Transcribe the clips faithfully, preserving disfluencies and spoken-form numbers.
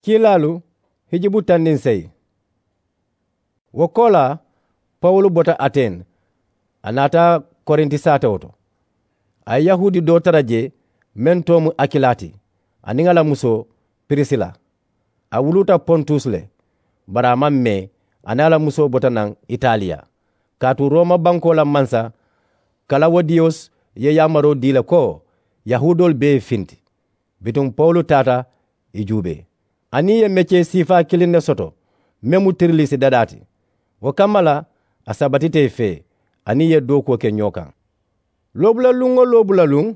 Kiilaalu hijubu tandinseyi. Wo koolaa, pawulu bota aten, a naata korinti saatewo to. A ye yahuudi doo tara jee, meŋ too mu akilaa ti, aniŋ a la musoo pirisila. A wuluuta pontus le, bari a maŋ mee. A niŋ a la musoo bota naŋ italiya, kaatu rooma bankoo la mansa kalawodiyos ye yaamaroo dii le ko yahuudoolu bee ye finti. Bituŋ pawulu taata ì juubee, aniŋ ì ye mecee siifaa kiliŋ ne soto, meŋ mu tirilisi dadaa ti. Wo kamma la, a sabatita ì fee, aniŋ ì ye dookuwo ke ñoo kaŋ. Loobulaluŋ-wo-loo bulaluŋ,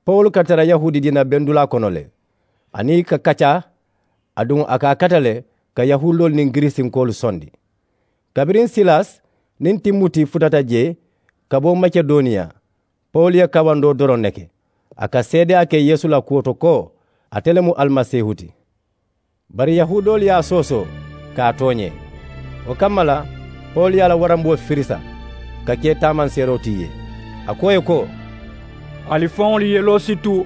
pawulu ka tara yahuudi diina bendulaa kono le, aniŋ ì ka kaccaa, aduŋ a ka a kata le ka yahuudoolu niŋ giriisinkoolu sondi. Kabiriŋ silas niŋ timuti futata jee ka bo makedoniya, pawulu ye kawandoo doroŋ ne ke, a ka seedeyaa ke yeesu la kuwo to ko ate le mu alimasiihu ti. Bari yahuudoolu ye a soosoo ka a tooñee. Wo kamma la, pawulu ye a la waramboo firisa ka ke taamanseeroo ti ì ye, a ko ì ye ko, ali faŋolu yeloo si tu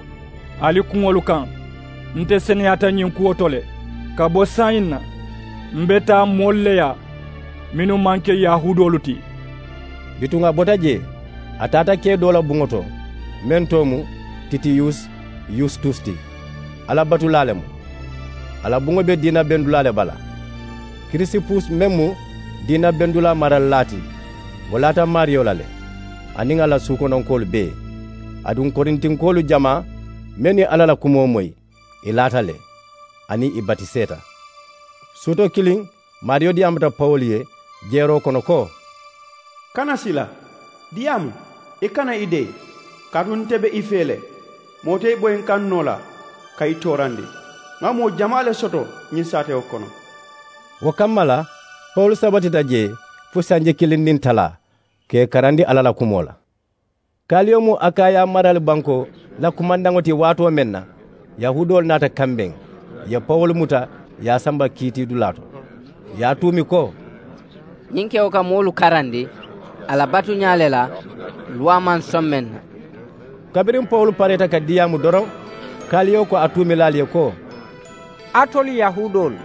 ali kuŋolu kaŋ. Nte seneyaata ñiŋ kuwo to le. Ka bo saayiŋ na, m be taa moolu le yaa mennu maŋ ke yahuudoolu ti. Bituŋ a bota jee, a taata kee doo la buŋo to, meŋ too mu titiyus yustus ti, alla batulaa le mu. A la buŋo be diina bendulaa le bala. Kirisipus meŋ mu diina bendulaa maralilaa ti, wo laata maariyo la le, aniŋ a la suukononkoolu bee. Aduŋ korintinkoolu jamaa mennu ye alla la kumoo moyi, ì laata le, aniŋ ì batiseeta. Suuto kiliŋ, maariyo diyaamata pawulu ye jeeroo kono ko, kana sila, diyaamu, i kana i dee, kaatu nte be i fee le. Moo te i boyinkaŋ noo la ka i toorandi. Ŋa moo jamaa le soto ñiŋ saatewo kono. Wo kamma la, pawulu sabatita jee fo sanji kiliŋ niŋ talaa ka ì karandi alla la kumoo la. Kaliyo mu akaya marali bankoo la kumandaŋo ti waatoo meŋ na, yahuudoolu naata kambeŋ, ì ye pawulu muta, ì ye a samba kiitiidulaa to, ì ye a tuumi ko, ñiŋ kewo ka moolu karandi a la batuñaa le la, luwaa maŋ soŋ meŋ na. Kabiriŋ pawulu pareeta ka diyaamu doroŋ, kaliyo ko a tuumilaalu ye ko, alitolu yahuudoolu,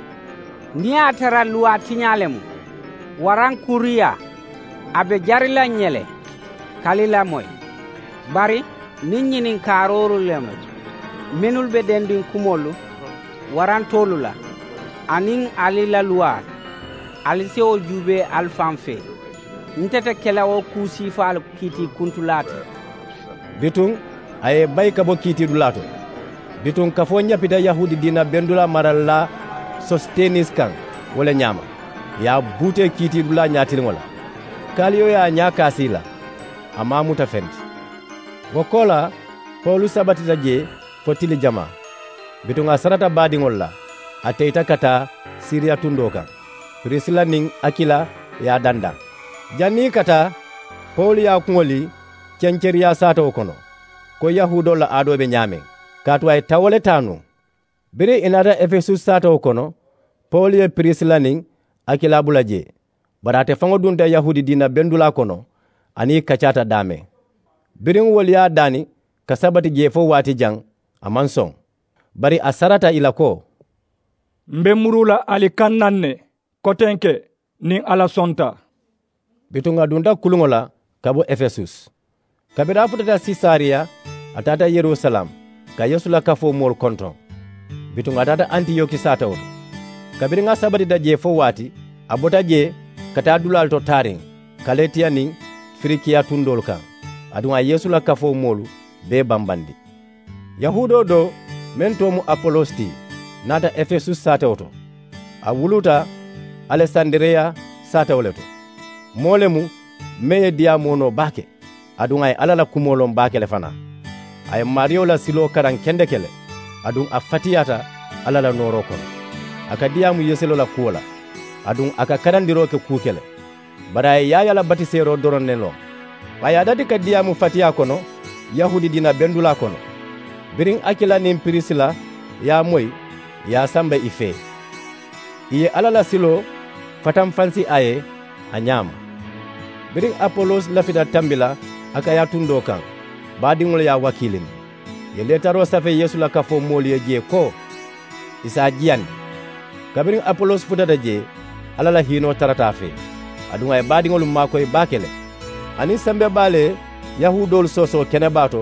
niŋ a ye a tara luwaa tiñaa le mu, waraŋ kuriyaa, a be jari la ǹ ye le ka ali lamoyi. Bari niŋ ñininkaaroo le mu, mennu be dendiŋ kumoolu warantoolu la, aniŋ ali la luwaa, ali si wo juubee ali faŋ fee. Nte te ke la wo kuu siifaalu kiitiikuntulaa ti. Bituŋ a ye ì bayi ka bo kiitiidulaa to. Bituŋ kafoo ñapita yahuudi diina bendulaa maralilaa sositenis kaŋ, wo le ñaama ì ye a buutee kiitiidulaa ñaatiliŋo la. Kaliyo ye a ñaa kaasi ì la, a maŋ a muta feŋ ti. Wo koolaa, pawulu sabatita jee fo tili jamaa. Bituŋ a sarata baadiŋolu la, a teyita ka taa siriya tundoo kaŋ. Pirisila niŋ akila ye a dandaŋ. Janniŋ ì ka taa, pawulu ye a kuŋo lii cenceriyaa saatewo kono, ko yahuudoolu la aadoo be ñaameŋ, kaatu a ye tawo le taa nuŋ. Biriŋ ì naata efesus saatewo kono, pawulu ye pirisila niŋ akila bula jee. Bari ate faŋo dunta yahuudi diina bendulaa kono, aniŋ ì kaccaata daameŋ. Biriŋ wolu ye a daani ka sabati jee fo waati jaŋ, a maŋ soŋ. Bari a sarata ì la ko, m be muruu la ali kaŋ naŋ ne, kotenke niŋ alla sonta. Bituŋ a dunta kuluŋo la ka bo efesus. Kabiriŋ a futata sisariya, a taata yerusalem ka yeesu la kafoo moolu kontoŋ. Bituŋ a taata antiyoki saatewo to. Kabiriŋ a sabatita jee fo waati, a bota jee ka taa dulaalu to taariŋ, kaletiya niŋ firikiya tundoolu kaŋ. Aduŋ a ye yeesu la kafoo moolu bee bambandi. Yahuudoo doo meŋ too mu apolos ti, naata efesus saatewo to. A wuluuta alesandiriya saatewo le to. Moo le mu meŋ ye diyaamoo noo baake, aduŋ a ye alla la kumoo loŋ baake le fanaa. A ye maariyo la siloo karaŋ kendeke le, aduŋ a fatiyaata alla la nooroo kono. A ka diyaamu yeeseloo la kuwo la, aduŋ a ka karandiroo ke kuu ke le. Bari a ye yaayaa la batiseeroo doroŋ ne loŋ. A ye a dati ka diyaamu fatiyaa kono yahuudi diina bendulaa kono. Biriŋ akila niŋ pirisila ye a moyi, ì ye a samba ì fee. Ì ye alla la siloo fatanfansi a ye a ñaama. Biriŋ apolos lafita tambi la akaya tundoo kaŋ, baadiŋolu ye a wakiilindi. Ì ye leetaroo safee yeesu la kafoo moolu ye jee ko ì si a jiyandi. Kabiriŋ apolos futata jee, alla la hiinoo tarata a fee, aduŋ a ye baadiŋolu maakoyi baake le. Aniŋ sembe baa le ye yahuudoolu soosoo kenebaa to,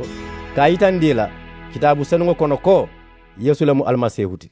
ka a yitandi i la kitaabu senuŋo kono ko yeesu le mu alimasiihu ti.